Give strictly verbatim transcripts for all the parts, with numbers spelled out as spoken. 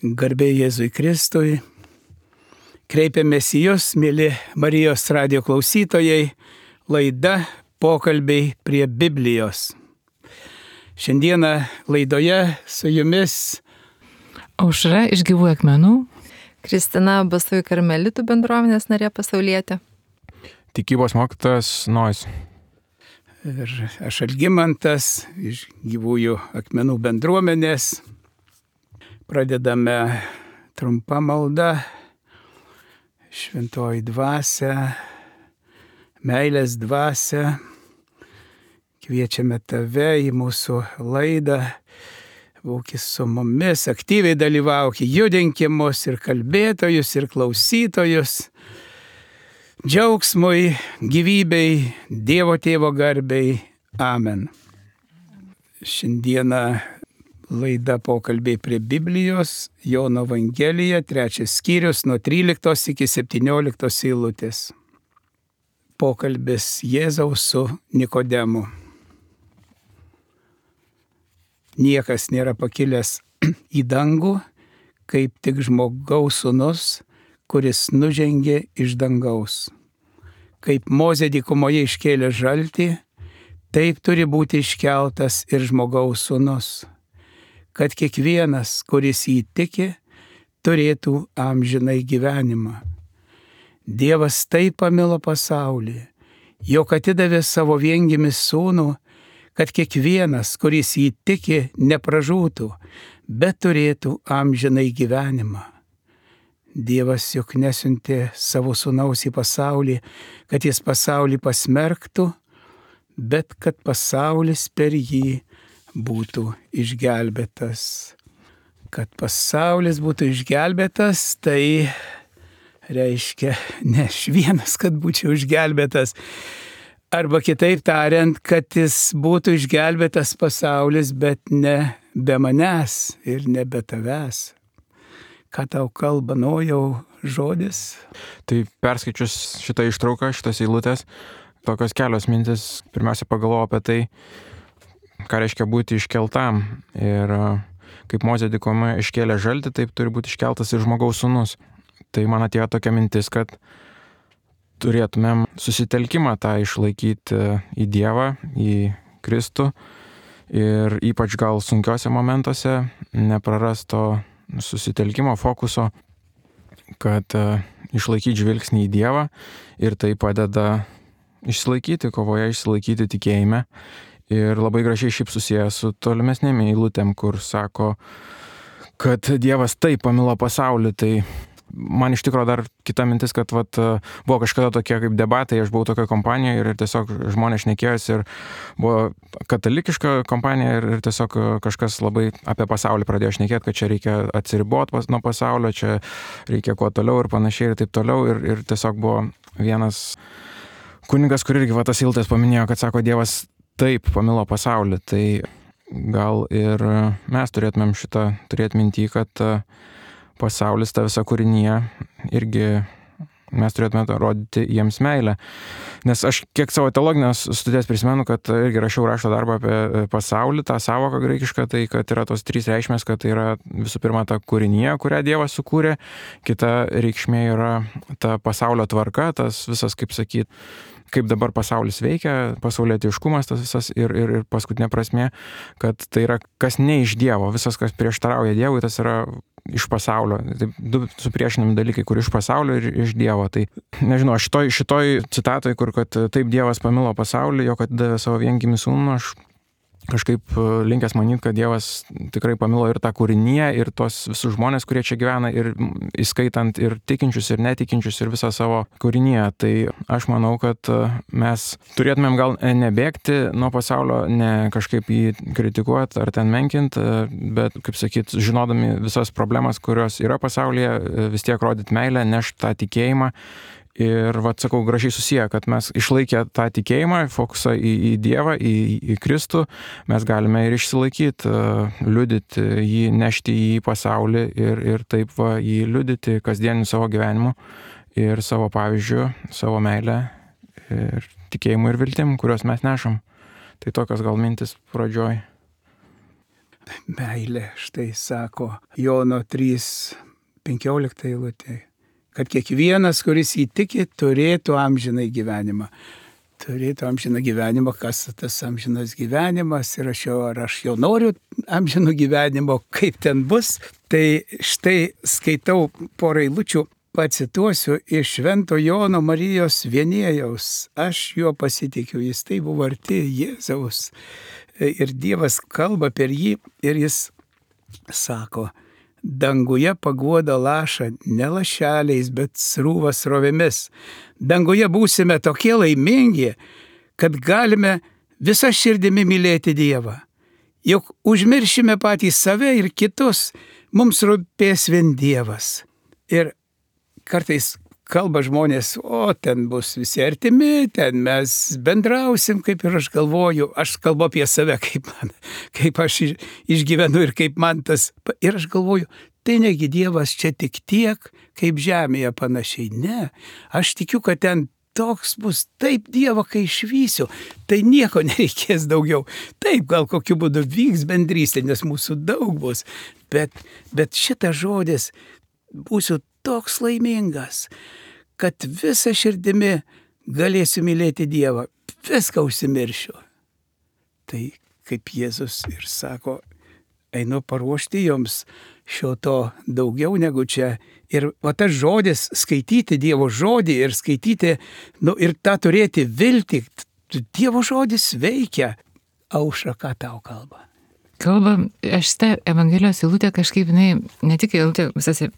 Garbė Jėzui Kristui. Kreipiamės į Jūs, mėly Marijos radijo klausytojai, laida Pokalbiai prie Biblijos. Šiandieną laidoje su Jumis Aušra iš Gyvų akmenų, Kristina Basųjų karmelitų bendruomenės narė pasaulietė, tikybos mokytojas Nojus. Ir aš Algimantas iš Gyvųjų akmenų bendruomenės. Pradedame trumpą maldą. Šventoji dvasia, meilės dvasia. Kviečiame Tave į mūsų laidą. Būki su mumis, aktyviai dalyvauk, judinki mus ir kalbėtojus, ir klausytojus. Džiaugsmui, gyvybei, Dievo Tėvo garbei. Amen. Šiandieną laida Pokalbiai prie Biblijos, Jono Evangelija, trečias skyrius nuo tryliktos iki septynioliktos eilutės. Pokalbis Jėzaus su Nikodemu. Niekas nėra pakilęs į dangų, kaip tik žmogaus sūnus, kuris nužengė iš dangaus. Kaip Mozė dykumoje iškėlė žaltį, taip turi būti iškeltas ir žmogaus sūnus, kad kiekvienas, kuris jį tiki, turėtų amžinai gyvenimą. Dievas taip pamilo pasaulį, jog atidavė savo viengimį sūnų, kad kiekvienas, kuris jį tiki, nepražūtų, bet turėtų amžinai gyvenimą. Dievas juk nesiuntė savo sūnaus į pasaulį, kad jis pasaulį pasmerktų, bet kad pasaulis per jį būtų išgelbėtas. Kad pasaulis būtų išgelbėtas, tai reiškia ne aš vienas, kad būčiau išgelbėtas. Arba kitaip tariant, kad jis būtų išgelbėtas pasaulis, bet ne be manęs ir ne be tavęs. Ką tau kalba Nojau žodis? Tai perskaičius šitą ištrauką, šitas eilutės, tokios kelios mintis, pirmiausia pagalvojau apie tai, ką reiškia būti iškeltam. Ir kaip Mozė dykumoje iškėlė žaltį, taip turi būti iškeltas ir žmogaus sūnus. Tai man atėjo tokia mintis, kad turėtumėm susitelkimą tą išlaikyti į Dievą, į Kristų ir ypač gal sunkiuose momentuose neprarast to susitelkimo, fokuso, kad išlaikyti žvilgsnį į Dievą ir tai padeda išsilaikyti kovoje, išsilaikyti tikėjime. Ir labai gražiai šiaip susiję su tolimesnėm eilutėm, kur sako, kad Dievas taip pamilo pasaulį. Tai man iš tikrųjų dar kita mintis, kad vat, buvo kažkada tokie kaip debatai, aš buvau tokioje kompanijoje ir tiesiog žmonės šnekėjosi ir buvo katalikiška kompanija ir, ir tiesiog kažkas labai apie pasaulį pradėjo šnekėti, kad čia reikia atsiriboti pas, nuo pasaulio, čia reikia kuo toliau ir panašiai ir taip toliau. Ir, ir tiesiog buvo vienas kunigas, kur irgi va, tas eilutės paminėjo, kad sako, Dievas taip pamilo pasaulį. Tai gal ir mes turėtumėm šitą turėti mintį, kad pasaulis, ta visa kūrinija, irgi mes turėtume rodyti jiems meilę. Nes aš kiek savo teologinės studijas prisimenu, kad irgi rašiau rašto darbą apie pasaulį, tą savoką graikišką, tai kad yra tos trys reikšmės, kad tai yra visų pirma ta kūrinija, kurią Dievas sukūrė, kita reikšmė yra ta pasaulio tvarka, tas visas, kaip sakyt, kaip dabar pasaulis veikia, pasaulietiškumas tas visas ir, ir, ir paskutinė prasmė, kad tai yra kas ne iš Dievo, visas, kas prieštarauja Dievui, tas yra iš pasaulio. Tai du supriešinami dalykai, kur iš pasaulio ir iš Dievo. Tai nežinau, šitoj, šitoj citatoj, kur kad taip Dievas pamilo pasaulį, jog atidavė savo viengimį sūnų, aš kažkaip linkęs manyti, kad Dievas tikrai pamilo ir tą kūriniją, ir tos visus žmonės, kurie čia gyvena, ir įskaitant ir tikinčius, ir netikinčius, ir visą savo kūriniją. Tai aš manau, kad mes turėtumėm gal nebėgti nuo pasaulio, ne kažkaip jį kritikuoti ar ten menkinti, bet, kaip sakyt, žinodami visas problemas, kurios yra pasaulyje, vis tiek rodyti meilę, nešti tą tikėjimą. Ir, vat, sakau, gražiai susiję, kad mes išlaikę tą tikėjimą, fokusą į, į Dievą, į, į Kristų, mes galime ir išsilaikyti, liudyti jį, nešti jį į pasaulį ir, ir taip va, jį liudyti kasdieniu savo gyvenimu ir savo pavyzdžiu, savo meilę ir tikėjimu ir viltim, kuriuos mes nešam. Tai tokios gal mintis pradžioj. meilė, štai sako Jono trys penkiolikta eilutė, kad kiekvienas, kuris įtiki, turėtų amžinai gyvenimą. Turėtų amžiną gyvenimą, kas tas amžinas gyvenimas ir aš jau, ar aš jau noriu amžino gyvenimo, kaip ten bus. Tai štai skaitau porą eilučių, pacituosiu iš Švento Jono Marijos Vienėjaus. Aš juo pasitikiu, jis tai buvo arti Jėzaus ir Dievas kalba per jį ir jis sako, danguje paguoda laša ne lašeliais, bet srūva srovėmis. Danguje būsime tokie laimingi, kad galime visą širdimi mylėti Dievą. Juk užmiršime patys save ir kitus, mums rūpės vien Dievas. Ir kartais kalba žmonės, o ten bus visi artimi, ten mes bendrausim, kaip ir aš galvoju, aš kalbu apie save, kaip, man, kaip aš išgyvenu ir kaip man tas. Ir aš galvoju, tai negi Dievas čia tik tiek, kaip žemėje panašiai. Ne, aš tikiu, kad ten toks bus, taip Dievą, kai išvysiu, tai nieko nereikės daugiau. Taip, gal kokiu būdu vyks bendrystė, nes mūsų daug bus, bet, bet šitas žodis būsiu toks laimingas, kad visą širdimi galėsiu mylėti Dievą, viską užsimiršiu. Tai kaip Jėzus ir sako, einu paruošti jums šio to daugiau negu čia. Ir o tas žodis, skaityti Dievo žodį ir skaityti, nu ir tą turėti viltį, Dievo žodis veikia. Aušra, ką tau kalba? Kalba, aš tą Evangelijos eilutę kažkaip, jinai, ne tik eilutė, visas e,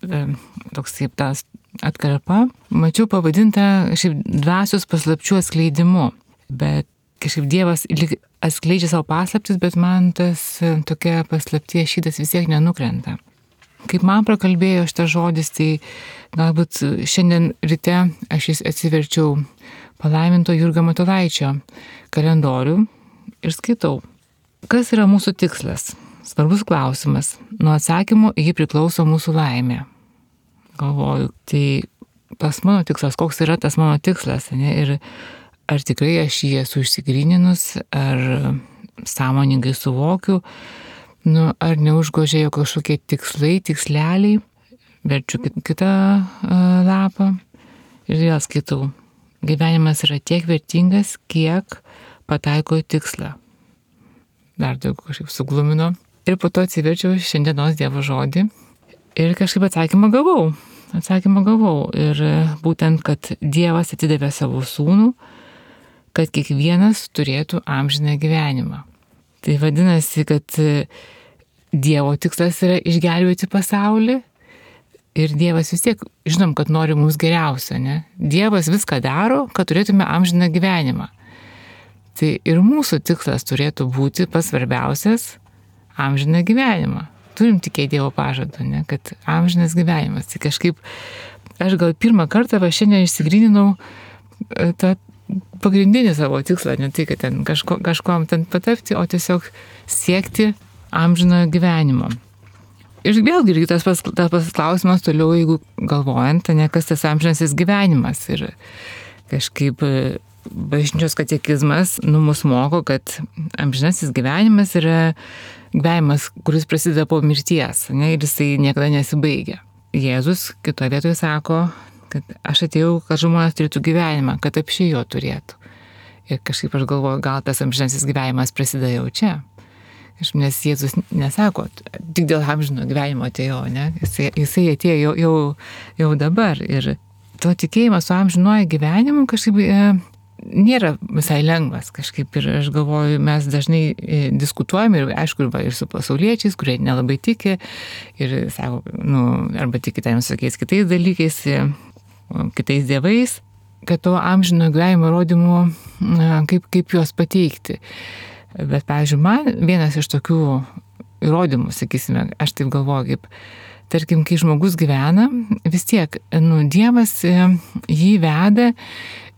toks kaip tas atkarpa, mačiau pavadintą šiaip dvasios paslapčių atskleidimu, bet kažkaip Dievas atskleidžia savo paslaptis, bet man tas e, tokia paslapties šydas vis tiek nenukrenta. Kaip man prakalbėjo šitas žodis, tai galbūt šiandien ryte aš jis atsiverčiau palaiminto Jurgio Matulaičio kalendorių ir skaitau. Kas yra mūsų tikslas? Svarbus klausimas. Nuo atsakymų jį priklauso mūsų laimė. Galvoju, tai tas mano tikslas, koks yra tas mano tikslas, ne? Ir ar tikrai aš jį esu išsigryninus, ar sąmoningai suvokiu, nu, ar neužgožėjo kažkokie tikslai, tiksleliai, verčiu kitą uh, lapą ir vėl skaitau. Gyvenimas yra tiek vertingas, kiek pataiko į tikslą. Dar daugiau kažkaip suglumino. Ir po to atsiverčiau šiandienos Dievo žodį ir kažkaip atsakymą gavau. Atsakymą gavau. Ir būtent, kad Dievas atidavė savo sūnų, kad kiekvienas turėtų amžiną gyvenimą. Tai vadinasi, kad Dievo tikslas yra išgelbėti pasaulį ir Dievas vis tiek, žinom, kad nori mums geriausio, ne? Dievas viską daro, kad turėtume amžiną gyvenimą. Tai ir mūsų tikslas turėtų būti pats svarbiausias – amžiną gyvenimą. Turim tikėti Dievo pažadą, ne? Kad amžinas gyvenimas. Tai kažkaip aš gal pirmą kartą va šiandien išsigryninau tą pagrindinį savo tikslą, ne tai, kad ten kažko, kažkom ten patapti, o tiesiog siekti amžino gyvenimo. Ir vėlgi tas pas, tas pas klausimas toliau, jeigu galvojant, ne, kas tas amžinasis gyvenimas. Ir kažkaip bažnyčios katekizmas nu, mus moko, kad amžinasis gyvenimas yra gyvenimas, kuris prasideda po mirties, ne, ir jisai niekada nesibaigia. Jėzus kitoje vietoje sako, kad aš atėjau, kad žmonės turėtų gyvenimą, kad apšiai jo turėtų. Ir kažkaip aš galvoju, gal tas amžinasis gyvenimas prasideda jau čia. Nes Jėzus nesako, tik dėl amžino gyvenimo atėjo, ne? Jisai, jisai atėjo jau, jau, jau dabar. Ir to tikėjimas su amžinuoju gyvenimu kažkaip e, nėra visai lengvas. Kažkaip ir aš galvoju, mes dažnai e, diskutuojame ir aišku, ir, ir su pasauliečiais, kurie nelabai tiki ir sako, nu, arba tiki tam visokiais kitais dalykais, e, kitais dievais, kad to amžino gyvenimo įrodymų, e, kaip, kaip juos pateikti. Bet, pavyzdžiui, man vienas iš tokių įrodymų, sakysime, aš taip galvoju, kaip, tarkim, kai žmogus gyvena, vis tiek, nu, Dievas jį veda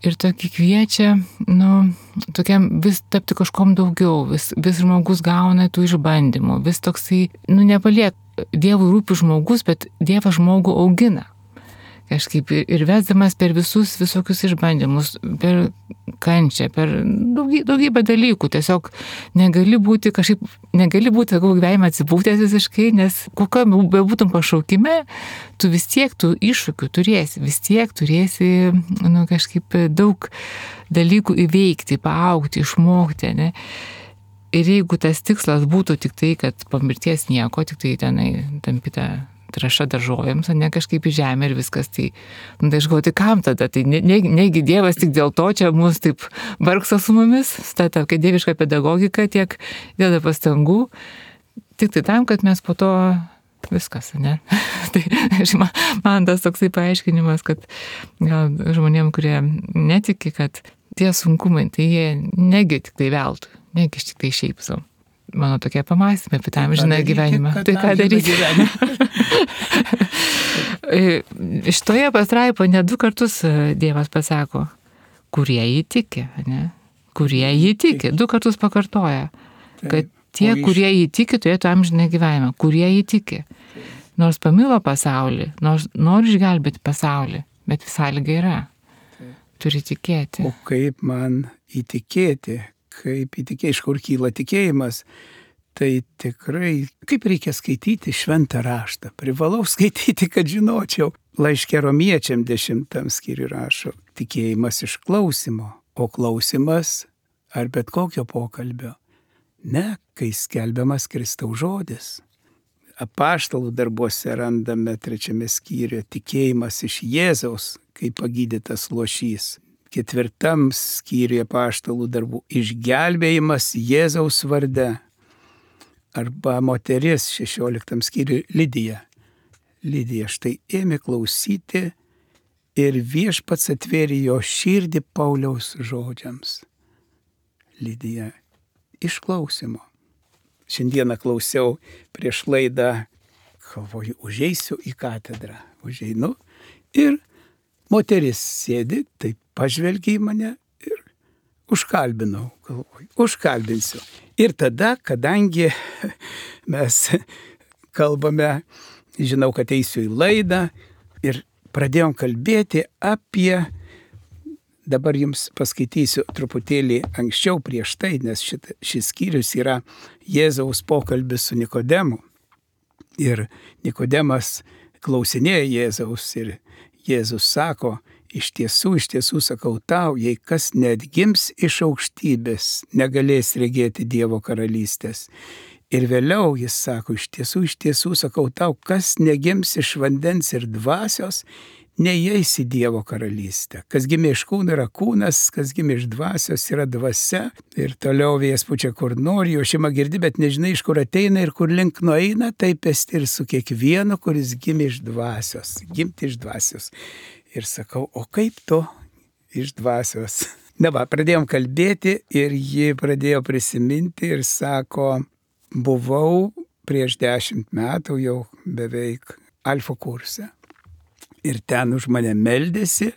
ir tokį kviečia, nu, tokiam vis tapti kažkom daugiau, vis, vis žmogus gauna tų išbandymų, vis toksai, nu, nepaliek, Dievui rūpi žmogus, bet Dievas žmogų augina. kažkaip ir vesdamas per visus visokius išbandymus, per kančią, per daugybę, daugybę dalykų. Tiesiog negali būti kažkaip, negali būti, sakau, gyvenime atsipūtęs visiškai, nes kokio bebūtum pašaukime, tu vis tiek tų iššūkių turėsi, vis tiek turėsi, nu, kažkaip daug dalykų įveikti, paaugti, išmokti, ne? Ir jeigu tas tikslas būtų tik tai, kad po mirties nieko, tik tai tenai tampita traša daržovėms, o ne kažkaip į žemę ir viskas, tai, nu, tai aš galvoju, tai kam tada? Tai ne, ne, negi Dievas tik dėl to čia mus taip vargsta su mumis, ta tokia dieviška pedagogika, tiek dėda pastangų, tik tai tam, kad mes po to viskas, ne? Tai man, man tas toksai paaiškinimas, kad gal žmonėm, kurie netiki, kad tie sunkumai, tai jie negi tik tai veltui, negi tik tai šiaip savo. Mano tokie pamąstymai apie tą amžiną gyvenimą. Tai ką daryti? Šitoje pastraipoje net du kartus Dievas pasako, kurie jį tiki, ne? Kurie jį tiki. Du kartus pakartoja, kad tie, kurie jį tiki, turėtų amžiną gyvenimą. Kurie jį tiki. Nors pamilo pasaulį, nors nori išgelbėti pasaulį, bet sąlyga yra. Turi tikėti. O kaip man įtikėti? Kaip įtikėjai, iš kur kyla tikėjimas, tai tikrai, kaip reikia skaityti šventą raštą. Privalau skaityti, kad žinočiau. Laiške Romiečiam dešimtam skyriui rašo, tikėjimas iš klausimo, o klausimas ar bet kokio pokalbio. Ne, kai skelbiamas Kristaus žodis. Apaštalų darbuose randame trečiame skyriuje tikėjimas iš Jėzaus, kaip pagydytas luošys. Ketvirtam skyriuje apaštalų darbų išgelbėjimas Jėzaus varde. Arba moteris šešioliktam skyriuje Lidija. Lidija štai ėmė klausyti ir viešpats atvėrė jo širdį Pauliaus žodžiams. Lidija išklausimo. Šiandieną klausiau prieš laidą, galvoju, užeisiu į katedrą. Užeinu ir moteris sėdi, taip pažvelgia į mane ir užkalbinau, galvoju, užkalbinsiu. Ir tada, kadangi mes kalbame, žinau, kad eisiu į laidą ir pradėjom kalbėti apie, dabar jums paskaitysiu truputėlį anksčiau prieš tai, nes šit, šis skyrius yra Jėzaus pokalbis su Nikodemu. Ir Nikodemas klausinėja Jėzaus ir Jėzus sako, iš tiesų, iš tiesų sakau tau, jei kas neatgims iš aukštybės, negalės regėti Dievo karalystės. Ir vėliau jis sako, iš tiesų, iš tiesų sakau tau, kas negims iš vandens ir dvasios, neįeis į Dievo karalystę. Kas gimė iš kūno yra kūnas, kas gimė iš dvasios yra dvasia. Ir toliau vėjas pučia kur nori, jo šeima girdi, bet nežinai, iš kur ateina ir kur link nueina, taip esti ir su kiekvienu, kuris gimė iš dvasios. Gimti iš dvasios. Ir sakau, o kaip tu iš dvasios? Na va, pradėjom kalbėti ir ji pradėjo prisiminti ir sako, buvau prieš dešimt metų jau beveik alfa kurse. Ir ten už mane meldėsi.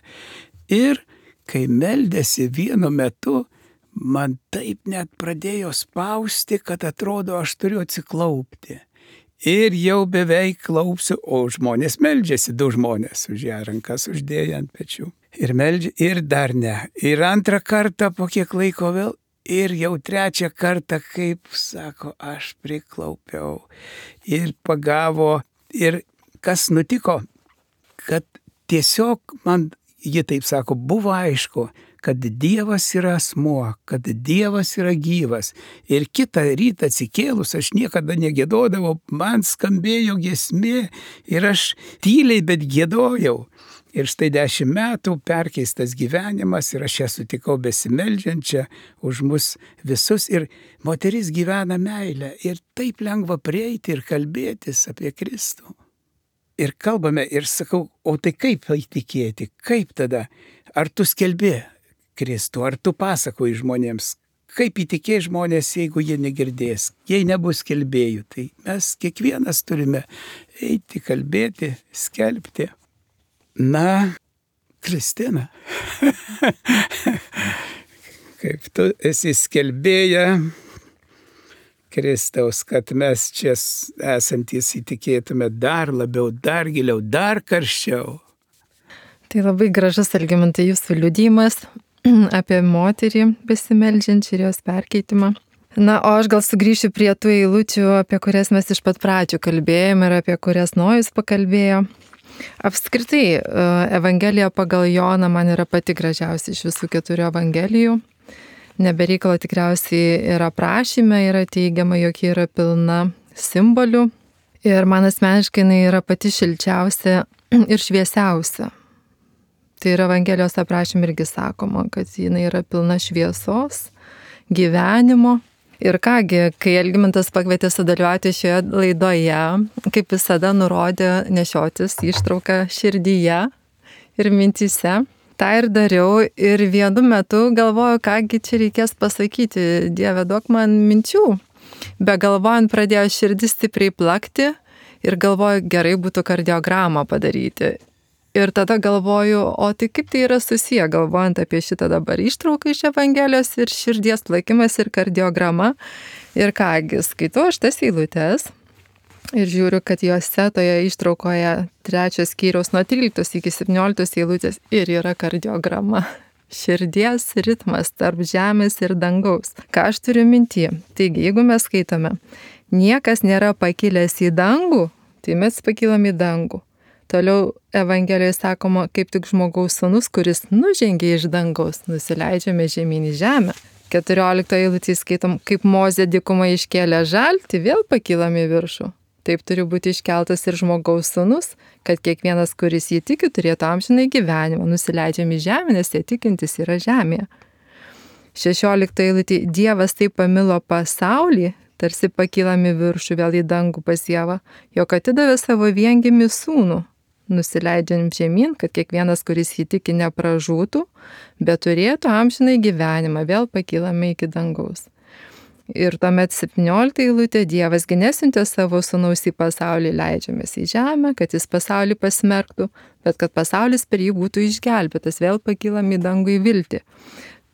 Ir kai meldėsi vienu metu, man taip net pradėjo spausti, kad atrodo, aš turiu atsiklaupti. Ir jau beveik klaupsiu, o žmonės meldžiasi, du žmonės už ją rankas uždėjo ant pečių. Ir meldžia, ir dar ne. Ir antrą kartą po kiek laiko vėl, ir jau trečią kartą, kaip sako, aš priklaupiau. Ir pagavo, ir kas nutiko, kad tiesiog man, ji taip sako, buvo aišku, kad Dievas yra asmuo, kad Dievas yra gyvas. Ir kitą rytą atsikėlus, aš niekada negėdodavau, man skambėjo giesmė ir aš tyliai, bet gėdojau. Ir štai dešimt metų perkeistas gyvenimas ir aš ją sutikau besimeldžiančią už mus visus. Ir moteris gyvena meilę ir taip lengva prieiti ir kalbėtis apie Kristų. Ir kalbame ir sakau, o tai kaip įtikėti, kaip tada? Ar tu skelbi Kristų, ar tu pasakoji žmonėms, kaip įtikės žmonės, jeigu jie negirdės, jei nebus skelbėjų. Tai mes kiekvienas turime eiti, kalbėti, skelbti. Na, Kristina, kaip tu esi skelbėja Kristaus, kad mes čia esantys įtikėtume dar labiau, dar giliau, dar karščiau. Tai labai gražus, Algimantai, jūsų liudijimas apie moterį besimeldžiančią ir jos perkeitimą. Na, o aš gal sugrįšiu prie tų eilučių, apie kurias mes iš pat pradžių kalbėjome ir apie kurias Nojus pakalbėjo. Apskritai, Evangelija pagal Joną man yra pati gražiausia iš visų keturių Evangelijų. Nebereikalo tikriausiai ir aprašyme yra teigiama, jog ji yra pilna simbolių. Ir man asmeniškai jinai yra pati šilčiausia ir šviesiausia. Tai yra Evangelijos aprašyme irgi sakoma, kad jinai yra pilna šviesos, gyvenimo. Ir kągi, kai Algimantas pakvietė sudalyvauti šioje laidoje, kaip visada nurodė nešiotis ištrauką širdyje ir mintyse. Ta ir dariau ir vienu metu galvoju, kągi čia reikės pasakyti, Dieve, duok man minčių. Be galvojant pradėjo širdis stipriai plakti ir galvoju, gerai būtų kardiogramą padaryti. Ir tada galvoju, o tai kaip tai yra susiję, galvojant apie šitą dabar ištrauką iš Evangelijos ir širdies plakimas ir kardiograma. Ir kągi, skaitau aš tas eilutes ir žiūriu, kad juose toje ištraukoje trečios skyriaus nuo tryliktos iki septynioliktos eilutės ir yra kardiograma. Širdies ritmas tarp žemės ir dangaus. Ką aš turiu minty? Taigi, jeigu mes skaitome, niekas nėra pakilęs į dangų, tai mes pakilam į dangų. Toliau Evangelijoje sakoma, kaip tik žmogaus sūnus, kuris nužengė iš dangaus, nusileidžiame žemyn į žemę. keturioliktoje eilutėje skaitom, kaip Mozė dykumą iškėlė žaltį, vėl pakilam į viršų. Taip turi būti iškeltas ir žmogaus sūnus, kad kiekvienas, kuris jį tiki, turėtų amžinai gyvenimą. Nusileidžiame į žemę, nes jie tikintis yra žemėje. šešioliktoje eilutėje Dievas taip pamilo pasaulį, tarsi pakilam į viršų, vėl į dangų pas Dievą, jog atidavė savo viengimį sūnų. Nusileidžiam žemyn, kad kiekvienas, kuris jį tiki, nepražūtų, bet turėtų amžinai gyvenimą, vėl pakilame iki dangaus. Ir tuomet septyniolikta eilutė, Dievasgi nesiuntė savo sūnaus į pasaulį, leidžiamės į žemę, kad jis pasaulį pasmerktų, bet kad pasaulis per jį būtų išgelbėtas, vėl pakilam į dangų į viltį.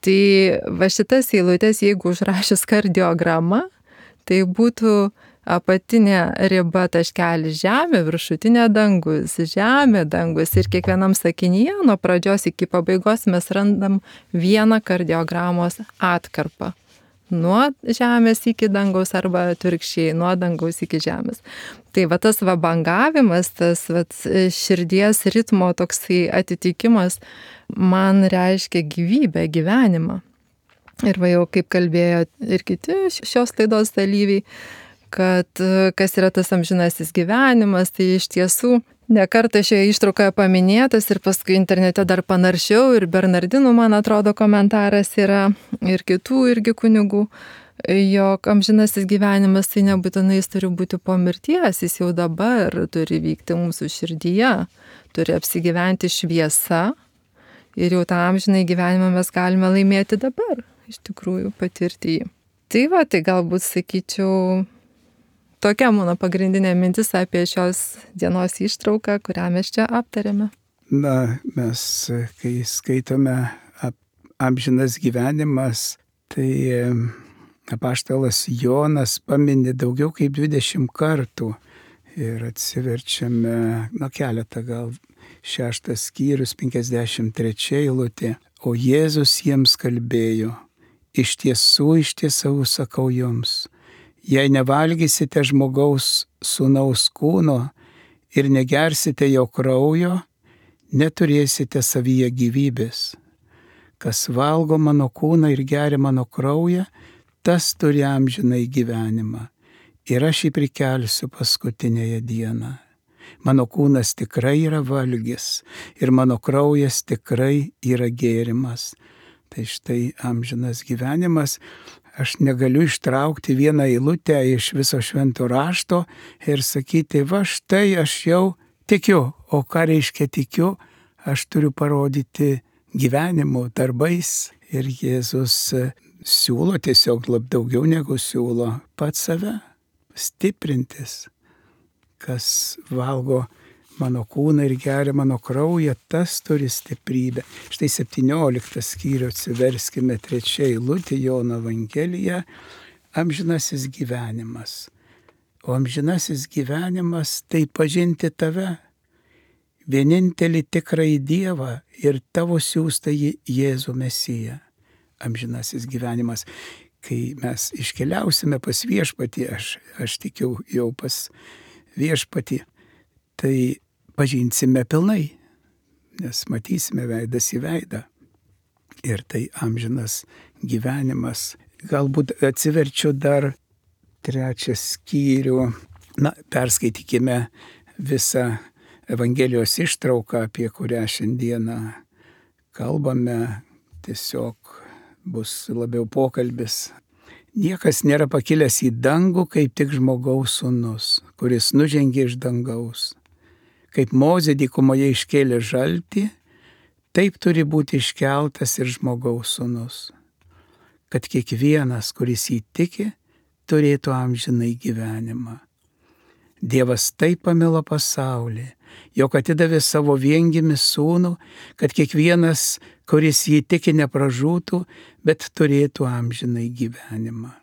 Tai va šitas eilutės, jeigu užrašęs kardiogramą, tai būtų apatinė riba taškelis žemė, viršutinė dangus, žemė, dangus. Ir kiekvienam sakinyje nuo pradžios iki pabaigos mes randam vieną kardiogramos atkarpą. Nuo žemės iki dangaus arba atvirkščiai, nuo dangaus iki žemės. Tai va tas va bangavimas, tas va širdies ritmo toksai atitikimas man reiškia gyvybę, gyvenimą. Ir va jau kaip kalbėjo ir kiti šios laidos dalyviai, kad kas yra tas amžinasis gyvenimas, tai iš tiesų ne kartą šioje ištraukoje paminėtas ir paskui internete dar panaršiau ir Bernardinų, man atrodo, komentaras yra ir kitų irgi kunigų, jog amžinasis gyvenimas tai nebūtinai jis turi būti po mirties, jis jau dabar turi vykti mūsų širdyje, turi apsigyventi šviesa ir jau tą amžinai gyvenimą mes galime laimėti dabar, iš tikrųjų patirti jį. Tai va, tai galbūt sakyčiau, tokia mano pagrindinė mintis apie šios dienos ištrauką, kurią mes čia aptarėme. Na, mes, kai skaitome amžinas gyvenimas, tai apaštalas Jonas pamini daugiau kaip dvidešimt kartų ir atsiverčiame, na, keletą gal, šeštas skyrius, penkiasdešimt trečia eilutė. O Jėzus jiems kalbėjo, iš tiesų, iš tiesų sakau jums, jei nevalgysite žmogaus sūnaus kūno ir negersite jo kraujo, neturėsite savyje gyvybės. Kas valgo mano kūną ir geria mano kraują, tas turi amžinai gyvenimą. Ir aš jį prikelsiu paskutinėje dieną. Mano kūnas tikrai yra valgis ir mano kraujas tikrai yra gėrimas. Tai štai amžinas gyvenimas. Aš negaliu ištraukti vieną eilutę iš viso švento rašto ir sakyti, va štai aš jau tikiu. O ką reiškia tikiu? Aš turiu parodyti gyvenimu, darbais. Ir Jėzus siūlo tiesiog lab daugiau negu siūlo pats save stiprintis. Kas valgo mano kūną ir geria mano kraują, tas turi stiprybę. Štai septynioliktas skyrių atsiverskime trečia eilutė Jono Evangelija, amžinasis gyvenimas. O amžinasis gyvenimas tai pažinti tave, vienintelį tikrąjį Dievą ir tavo siųstąjį Jėzų Mesiją. Amžinasis gyvenimas. Kai mes iškeliausime pas viešpatį, aš, aš tikiu jau pas viešpatį, tai pažinsime pilnai, nes matysime veidas į veidą. Ir tai amžinas gyvenimas. Galbūt atsiverčiu dar trečią skyrių. Na, perskaitykime visą Evangelijos ištrauką, apie kurią šiandieną kalbame. Tiesiog bus labiau pokalbis. Niekas nėra pakilęs į dangų, kaip tik žmogaus sūnus, kuris nužengė iš dangaus. Kaip Mozė dykumoje iškėlė žaltį, taip turi būti iškeltas ir žmogaus sūnus, kad kiekvienas, kuris jį tiki, turėtų amžinai gyvenimą. Dievas taip pamilo pasaulį, jog atidavė savo viengimį sūnų, kad kiekvienas, kuris jį tiki, nepražūtų, bet turėtų amžinai gyvenimą.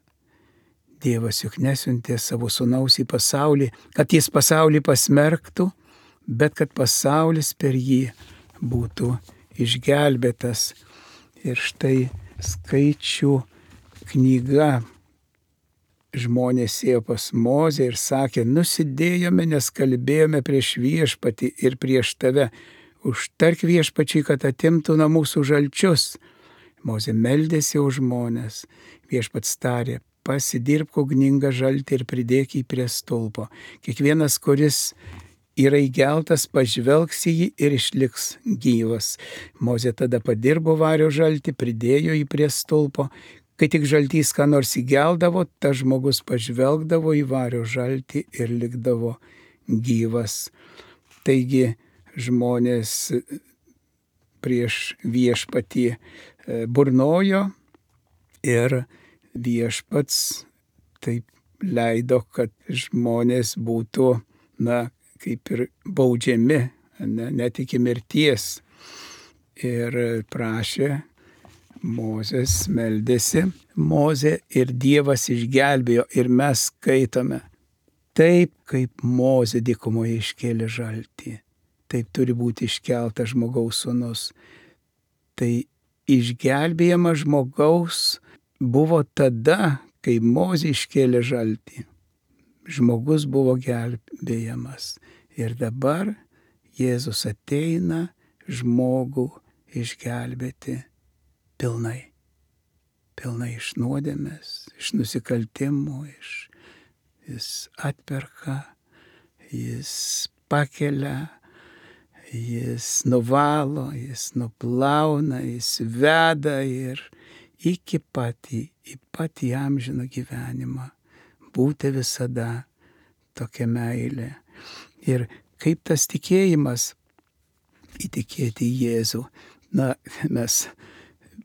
Dievas juk nesiuntė savo sūnaus į pasaulį, kad jis pasaulį pasmerktų, bet kad pasaulis per jį būtų išgelbėtas. Ir štai Skaičių knyga. Žmonės ėjo pas Mozę ir sakė, nusidėjome, nes kalbėjome prieš viešpatį ir prieš tave. Užtark viešpačiui, kad atimtų nuo mūsų žalčius. Mozė meldėsi už žmonės. Viešpats tarė, pasidirbk ugningą žaltį ir pridėk jį prie stulpo. Kiekvienas, kuris yra įgeltas, pažvelgs į jį ir išliks gyvas. Mozė tada padirbo vario žaltį, pridėjo jį prie stulpo. Kai tik žaltys ką nors įgeldavo, tas žmogus pažvelgdavo į vario žaltį ir likdavo gyvas. Taigi žmonės prieš viešpatį burnojo ir viešpats taip leido, kad žmonės būtų, na, kaip ir baudžiami, ne, net iki mirties. Ir prašė Mozės, meldėsi Mozė ir Dievas išgelbėjo. Ir mes skaitome, taip kaip Mozė dykumoje iškėlė žaltį, taip turi būti iškeltas žmogaus sūnus. Tai išgelbėjimas žmogaus buvo tada, kai Mozė iškėlė žaltį. Žmogus buvo gelbėjamas. Ir dabar Jėzus ateina žmogų išgelbėti pilnai. Pilnai iš nuodėmės, iš nusikaltimų, iš, jis atperka, jis pakelia, jis nuvalo, jis nuplauna, jis veda ir iki patį, į patį amžiną gyvenimą. Būti visada tokia meilė. Ir kaip tas tikėjimas įtikėti į Jėzų. Na, mes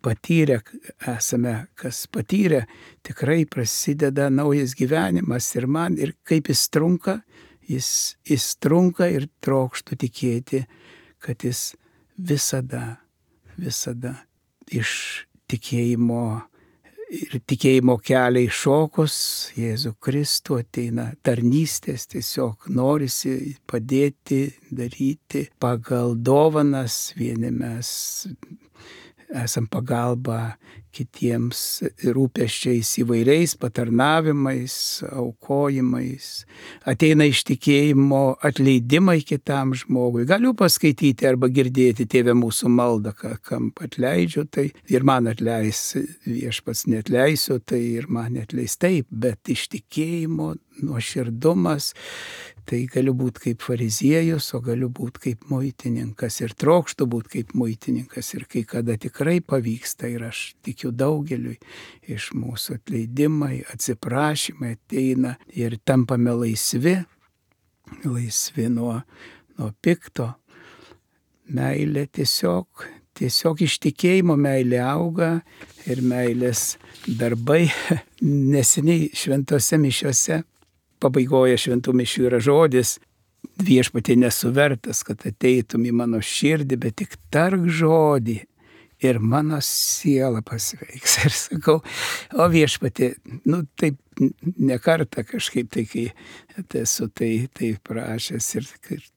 patyrę esame, kas patyrę, tikrai prasideda naujas gyvenimas ir man, ir kaip jis trunka, jis, jis trunka ir trokštų tikėti, kad jis visada, visada iš tikėjimo ir tikėjimo kelią iššokus Jėzų Kristų ateina tarnystės, tiesiog norisi padėti, daryti pagal dovanas. Vieni mes esam pagalba kitiems rūpesčiais įvairiais, patarnavimais, aukojimais. Ateina iš tikėjimo atleidimai kitam žmogui. Galiu paskaityti arba girdėti Tėve mūsų maldą, kam atleidžiu, tai ir man atleis, viešpats neatleisiu, tai ir man neatleis. Taip, bet iš tikėjimo nuoširdumas, tai galiu būti kaip fariziejus, o galiu būti kaip muitininkas ir trokštų būti kaip muitininkas. Ir kai kada tikrai pavyksta, ir aš tikiu daugeliui iš mūsų atleidimai, atsiprašymai ateina ir tampame laisvi, laisvi nuo, nuo pikto. Meilė tiesiog, tiesiog iš tikėjimo meilė auga ir meilės darbai. Neseniai šventose mišiose pabaigoje šventų mišių yra žodis, viešpatie nesu vertas, kad ateitum į mano širdį, bet tik tark žodį ir mano siela pasveiks. Ir sakau, o Viešpatie, nu taip ne kartą kažkaip tai, kai esu tai, tai prašęs ir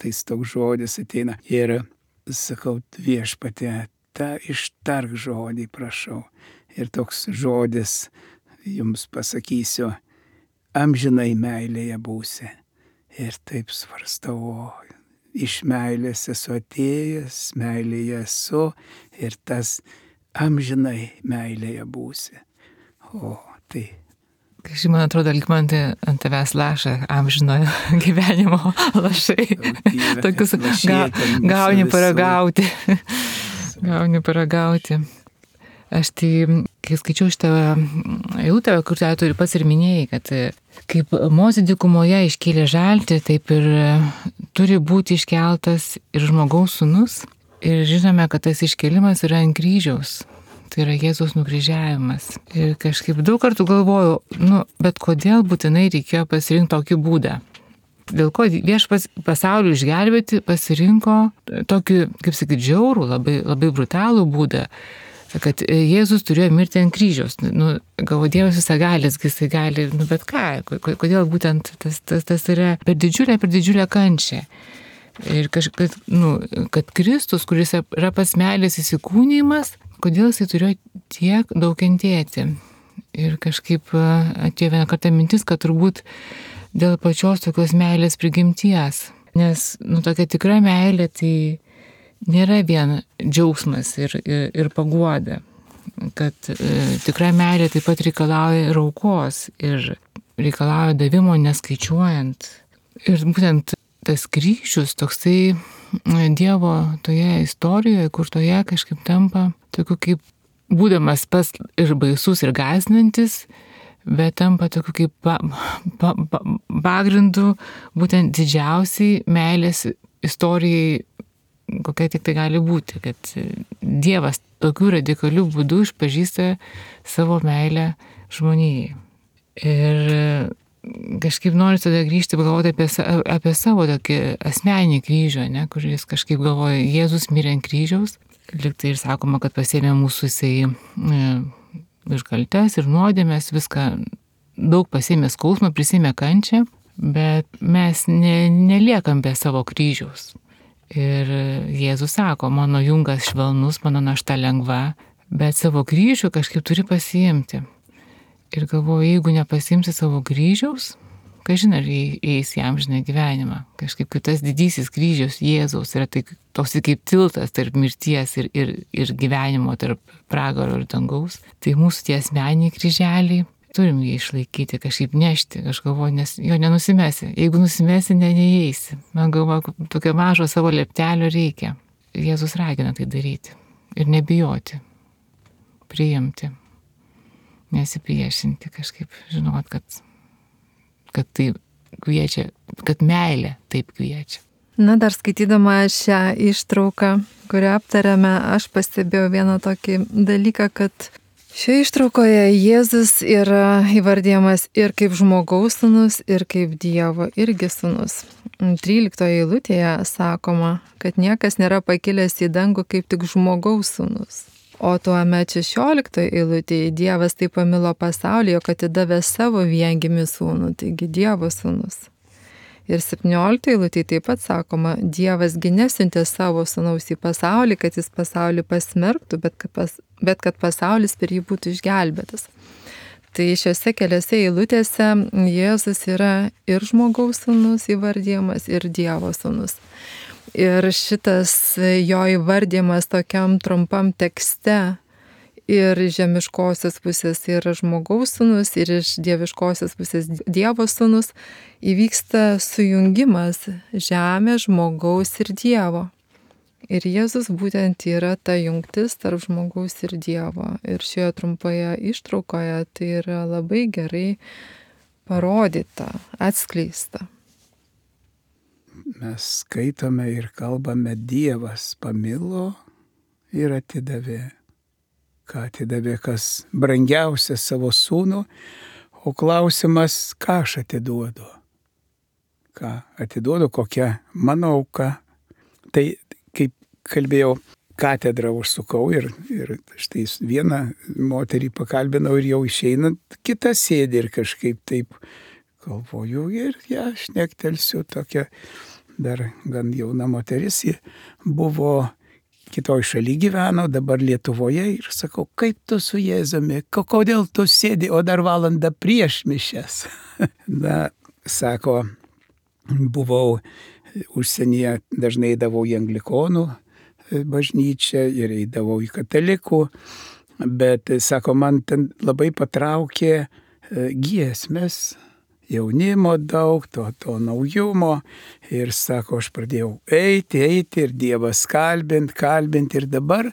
tais toks žodis ateina. Ir sakau, Viešpatie, tą ištark žodį, prašau. Ir toks žodis jums pasakysiu, amžinai meilėje būsi. Ir taip svarstau, iš meilės esu atėjęs, meilėje esu ir tas amžinai meilėje būsi. O tai. Kažkaip man atrodo, lyg man tai ant tavęs laša amžinojo gyvenimo lašai. Tokius ga, gauni paragauti. Gauni paragauti. Aš tai, kai skaičiau šitą eilutę, kur tu ir pats ir minėjai, kad kaip Mozė dykumoje iškėlė žaltį, taip ir turi būti iškeltas ir žmogaus sūnus. Ir žinome, kad tas iškėlimas yra ant kryžiaus. Tai yra Jėzaus nukryžiavimas. Ir kažkaip daug kartų galvojau, nu, bet kodėl būtinai reikėjo pasirinkti tokį būdą? Dėl ko Viešpats pasaulį išgelbėti pasirinko tokį, kaip sakyti, žiaurų, labai, labai brutalų būdą, kad Jėzus turėjo mirti ant kryžiaus. Nu, galvo, Dievas visagalis, jisai gali, nu, bet ką, kodėl būtent tas, tas, tas yra per didžiulę, per didžiulę kančią. Ir kažkaip, nu, kad Kristus, kuris yra pats meilės įsikūnymas, kodėl jisai turėjo tiek daug kentėti. Ir kažkaip atėjo vieną kartą mintis, kad turbūt dėl pačios tokios meilės prigimties. Nes, nu, tokia tikra meilė, tai nėra vien džiaugsmas ir, ir, ir paguoda, kad e, tikra meilė taip pat reikalauja ir aukos ir reikalauja davimo neskaičiuojant. Ir būtent tas kryžius toksai Dievo toje istorijoje, kur toje kažkaip tampa tokiu kaip būdamas pas ir baisus ir gąsdinantis, bet tampa tokiu kaip pa, pa, pa, pagrindu būtent didžiausiai meilės istorijai, kokia tik tai gali būti, kad Dievas tokių radikalių būdų išpažįsta savo meilę žmonijai. Ir kažkaip noriu tada grįžti, galvoti apie, apie savo tokį asmeninį kryžių, ne, kuris kažkaip galvoja, Jėzus mirė ant kryžiaus, liktai ir sakoma, kad pasėmė mūsų jisai e, iškaltes ir nuodėmės, viską daug pasėmė skausmą, prisėmė kančią, bet mes ne, neliekam be savo kryžiaus. Ir Jėzus sako, mano jungas švelnus, mano našta lengva, bet savo kryžių kažkaip turi pasiimti. Ir galvoju, jeigu nepasiimsi savo kryžiaus, kažin ar eis į amžiną gyvenimą. Kažkaip kaip tas didysis kryžius Jėzaus yra tai toks kaip tiltas tarp mirties ir, ir, ir gyvenimo, tarp pragaro ir dangaus. Tai mūsų tie asmeniniai kryželiai, turim jį išlaikyti, kažkaip nešti, aš galvoju, nes jo nenusimesi. Jeigu nusimesi, ne, neįeisi. Man galvoju, tokio mažo savo leptelio reikia. Jėzus ragina tai daryti. Ir nebijoti. Priimti. Nesipriešinti kažkaip. Žinot, kad, kad tai kviečia, kad meilė taip kviečia. Na, dar skaitydama šią ištrauką, kurią aptarėme, aš pastebėjau vieną tokį dalyką, kad šioje ištraukoje Jėzus yra įvardyjamas ir kaip žmogaus sūnus, ir kaip Dievo irgi sūnus. tryliktoje eilutėje sakoma, kad niekas nėra pakilęs į dangų kaip tik žmogaus sūnus. O tuomet šešioliktoje eilutėje Dievas taip pamilo pasaulį, jog atidavė savo viengimį sūnų, taigi Dievo sūnus. Ir septynioliktoje eilutėje taip pat sakoma, Dievas gi nesiuntė savo sūnaus į pasaulį, kad jis pasaulį pasmerktų, bet kad, pas, bet kad pasaulis per jį būtų išgelbėtas. Tai šiuose keliose eilutėse Jėzus yra ir žmogaus sūnus įvardyjamas, ir Dievo sūnus. Ir šitas jo įvardymas tokiam trumpam tekste ir iš žemiškosios pusės yra žmogaus sūnus, ir iš dieviškosios pusės Dievo sūnus, įvyksta sujungimas žemė, žmogaus ir Dievo. Ir Jėzus būtent yra ta jungtis tarp žmogaus ir Dievo. Ir šioje trumpoje ištraukoje tai yra labai gerai parodyta, atskleista. Mes skaitome ir kalbame, Dievas pamilo ir atidavė. Ką atidavė, kas brangiausia savo sūnų, o klausimas, ką aš atiduodu. Ką atiduodu, kokia mano auka. Tai, kaip kalbėjau, katedrą užsukau ir, ir štai vieną moterį pakalbinau ir jau išeinant kitą sėdį ir kažkaip taip galvoju ir ją šnektelsiu, tokia dar gan jauna moteris, ji buvo kitoj šaly gyveno, dabar Lietuvoje ir sakau, kaip tu su Jėzumi, kodėl tu sėdi, o dar valandą prieš mišias. Na, sako, buvau užsienyje, dažnai eidavau į anglikonų bažnyčią ir eidavau į katalikų, bet, sako, man ten labai patraukė giesmės, jaunimo daug, to, to naujumo ir, sako, aš pradėjau eiti, eiti ir Dievas kalbint, kalbint ir dabar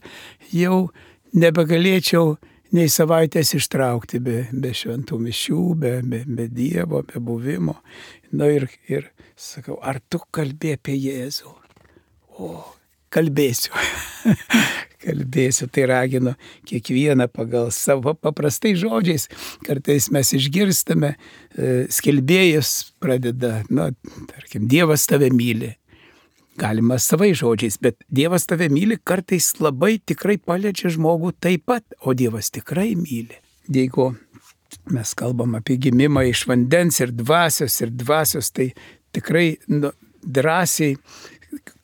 jau nebegalėčiau nei savaitės ištraukti be, be šventų mišių, be, be, be Dievo, be buvimo. Na ir, ir sakau, ar tu kalbė apie Jėzų? O, kalbėsiu. Kalbėsiu, tai raginu kiekvieną pagal savo paprastai žodžiais. Kartais mes išgirstame, skelbėjas pradeda, na, tarkim, Dievas tave myli. Galima savai žodžiais, bet Dievas tave myli kartais labai tikrai paliečia žmogų taip pat, o Dievas tikrai myli. Jeigu mes kalbam apie gimimą iš vandens ir dvasios ir dvasios, tai tikrai nu, drąsiai,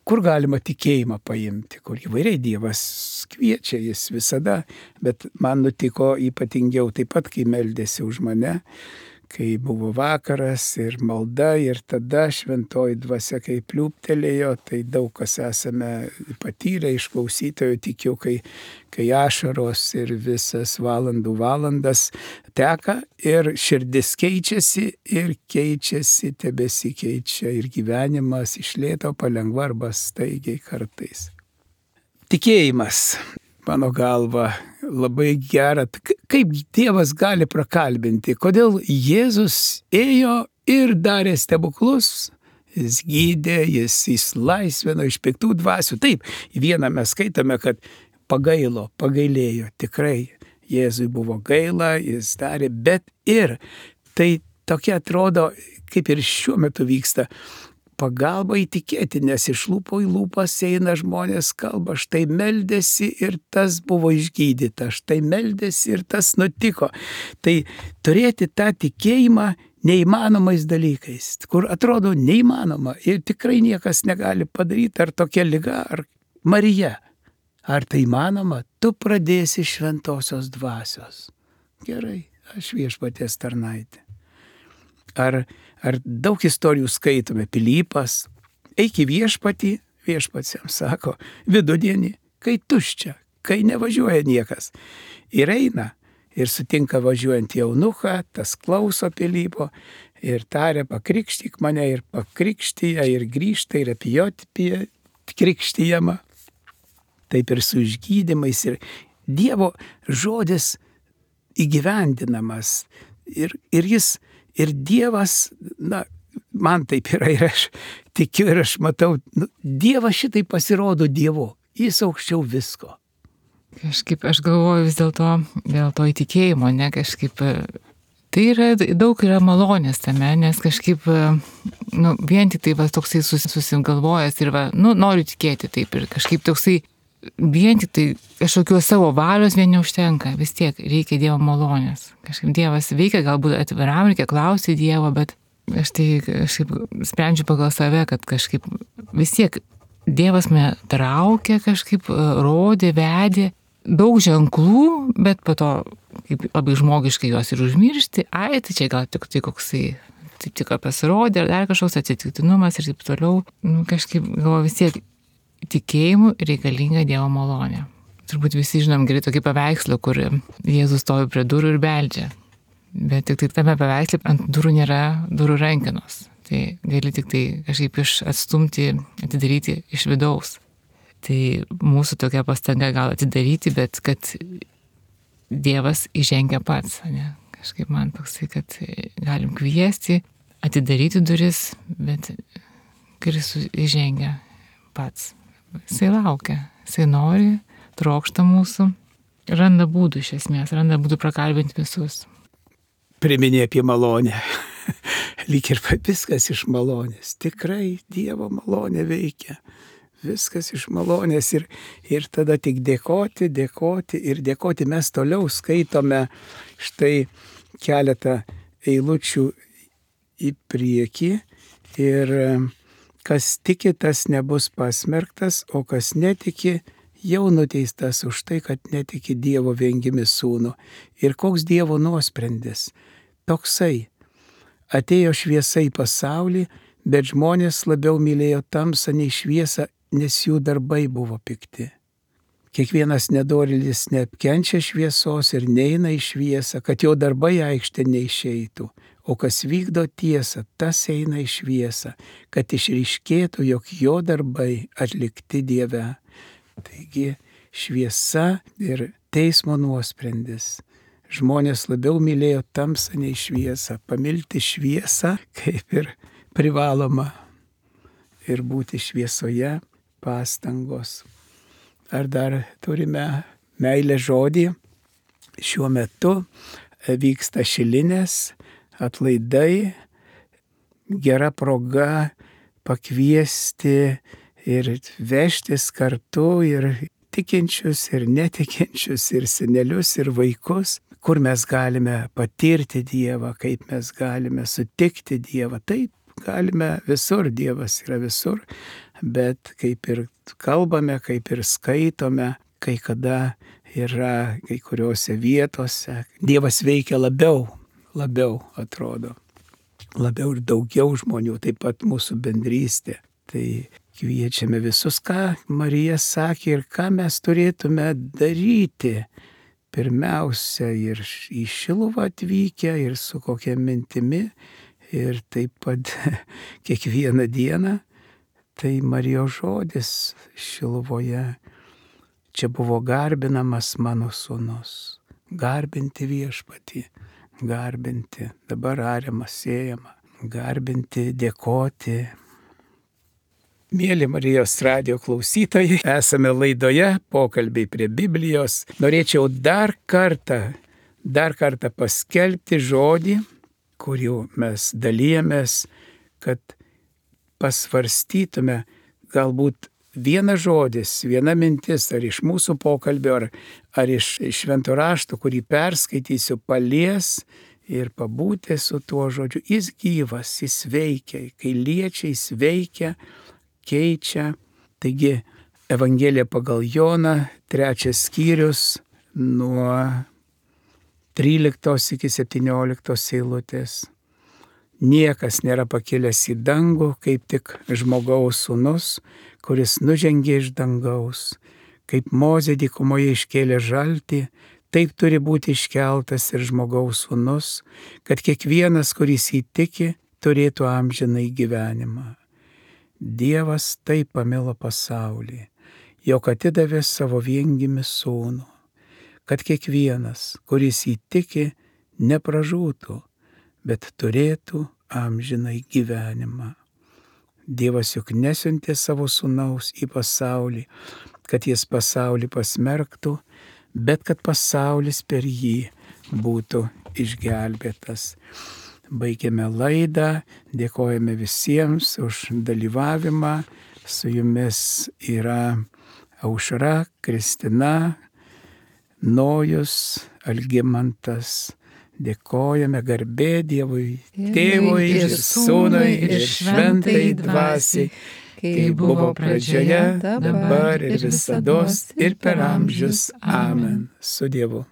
kur galima tikėjimą paimti, kur įvairiai Dievas kviečia, jis visada, bet man nutiko ypatingiau taip pat, kai meldėsi už mane, kai buvo vakaras ir malda ir tada šventoji dvasia kai pliūptelėjo, tai daug kas esame patyrę iš klausytojų, tikiu, kai, kai ašaros ir visas valandų valandas teka ir širdis keičiasi ir keičiasi, tebesikeičia ir gyvenimas iš lėto palengva arba staigiai kartais. Tikėjimas, mano galva, labai gera, kaip Dievas gali prakalbinti, kodėl Jėzus ėjo ir darė stebuklus, jis gydė, jis išlaisvino iš piktų dvasių. Taip, vieną mes skaitome, kad pagailo, pagailėjo, tikrai Jėzui buvo gaila, jis darė, bet ir tai tokia atrodo, kaip ir šiuo metu vyksta, pagalba įtikėti, nes iš lūpo į lūpas eina žmonės kalba, štai meldėsi ir tas buvo išgydyta, štai meldėsi ir tas nutiko. Tai turėti tą tikėjimą neįmanomais dalykais, kur atrodo neįmanoma ir tikrai niekas negali padaryti, ar tokia liga, ar Marija. Ar tai įmanoma? Tu pradėsi šventosios dvasios. Gerai, aš viešpaties tarnaitė. Ar, ar daug istorijų skaitome, Pilypas, eik į viešpatį, viešpats jam sako, vidudienį, kai tuščia, kai nevažiuoja niekas. Ir eina, ir sutinka važiuojant jaunuką, tas klauso Pilypo, ir taria, pakrikštyk mane, ir pakrikštyja, ir grįžta, ir apie jo krikštyjama. Taip ir su išgydymais, ir Dievo žodis įgyvendinamas, ir, ir jis Ir Dievas, na, man taip yra ir aš tikiu ir aš matau, nu, Dievas šitai pasirodo Dievu, jis aukščiau visko. Kažkaip aš galvoju vis dėlto, dėl to įtikėjimo, ne, kažkaip, tai yra, daug yra malonės tame, nes kažkaip, nu, vien tik tai va, toksai susigalvojęs ir va, nu, noriu tikėti taip ir kažkaip toksai, vien tik tai kažkokios savo valios vien neužtenka, vis tiek reikia Dievo malonės. Kažkaip Dievas veikia, galbūt atviram, reikia klausyti Dievo, bet aš tai kažkaip sprendžiu pagal save, kad kažkaip vis tiek Dievas mane traukia, kažkaip rodė, vedė, daug ženklų, bet po to kaip labai žmogiškai juos ir užmiršti, ai, tai čia gal tik tai koksai, taip tik pasirodė, ar dar kažkoks atsitiktinumas ir taip toliau, nu, kažkaip galvoju vis tiek, tikėjimu reikalinga Dievo malonė. Turbūt visi žinom gerai tokį paveikslą, kur Jėzus stovi prie durų ir beldžia. Bet tik tai tame paveiksle ant durų nėra durų rankenos. Tai gali tik tai kažkaip iš atstumti, atidaryti iš vidaus. Tai mūsų tokia pastanga gal atidaryti, bet kad Dievas įžengia pats. Ne? Kažkaip man toksai, kad galim kviesti, atidaryti duris, bet Kristus įžengia pats. Jisai laukia, jisai nori, trokšta mūsų, randa būdų iš esmės, randa būdų prakalbinti visus. Priminė apie malonę. Lyg ir viskas iš malonės. Tikrai Dievo malonė veikia. viskas iš malonės ir, ir tada tik dėkoti, dėkoti ir dėkoti. Mes toliau skaitome štai keletą eilučių į priekį ir kas tiki, tas nebus pasmerktas, o kas netiki, jau nuteistas už tai, kad netiki Dievo viengimi sūnų. Ir koks Dievo nuosprendis? Toksai. Atėjo šviesa į pasaulį, bet žmonės labiau mylėjo tamsą nei šviesą, nes jų darbai buvo pikti. Kiekvienas nedorėlis neapkenčia šviesos ir neina į šviesą, kad jo darbai aikštė neišeitų. O kas vykdo tiesą, tas eina į šviesą, kad išryškėtų, jog jo darbai atlikti Dieve. Taigi šviesa ir teismo nuosprendis. Žmonės labiau mylėjo tamsą nei šviesą. Pamilti šviesą kaip ir privaloma. Ir būti šviesoje pastangos. Ar dar turime meilės žodį? Šiuo metu vyksta šilinės, atlaidai, gera proga pakviesti ir vežtis kartu ir tikinčius, ir netikinčius, ir senelius, ir vaikus, kur mes galime patirti Dievą, kaip mes galime sutikti Dievą. Taip, galime visur, Dievas yra visur, bet kaip ir kalbame, kaip ir skaitome, kai kada yra kai kuriuose vietose, Dievas veikia labiau, labiau atrodo, labiau ir daugiau žmonių, taip pat mūsų bendrystė. Tai kviečiame visus, ką Marija sakė ir ką mes turėtume daryti. Pirmiausia, ir į Šiluvą atvykę, ir su kokia mintimi, ir taip pat kiekvieną dieną. Tai Marijos žodis Šiluvoje. Čia buvo garbinamas mano sūnus. Garbinti viešpatį, garbinti, dabar ariama, sėjama, garbinti, dėkoti. Mėly Marijos radijo klausytojai, esame laidoje Pokalbiai prie Biblijos. Norėčiau dar kartą, dar kartą paskelbti žodį, kuriuo mes dalyjamės, kad pasvarstytume galbūt vienas žodis, viena mintis, ar iš mūsų pokalbio, ar, ar iš švento rašto, kurį perskaitysiu, palies ir pabūti su tuo žodžiu. Jis gyvas, jis veikia, kai liečia, jis veikia, keičia. Taigi Evangelija pagal Joną, trečias skyrius, nuo tryliktos iki septynioliktos eilutės. Niekas nėra pakilęs į dangų, kaip tik žmogaus sūnus, kuris nužengė iš dangaus. Kaip Mozė dykumoje iškėlė žaltį, taip turi būti iškeltas ir žmogaus sūnus, kad kiekvienas, kuris įtiki, turėtų amžinai gyvenimą. Dievas taip pamilo pasaulį, jog atidavė savo viengimį sūnų, kad kiekvienas, kuris įtiki, nepražūtų, bet turėtų amžinai gyvenimą. Dievas juk nesiuntė savo sūnaus į pasaulį, kad jis pasaulį pasmerktų, bet kad pasaulis per jį būtų išgelbėtas. Baigiame laidą, dėkojame visiems už dalyvavimą. Su jumis yra Aušra, Kristina, Nojus, Algimantas. Dėkojame, garbė Dievui, Tėvui ir Sūnui ir Šventai Dvasiai, kaip buvo pradžioje, dabar ir visados ir per amžius. Amen. Su Dievu.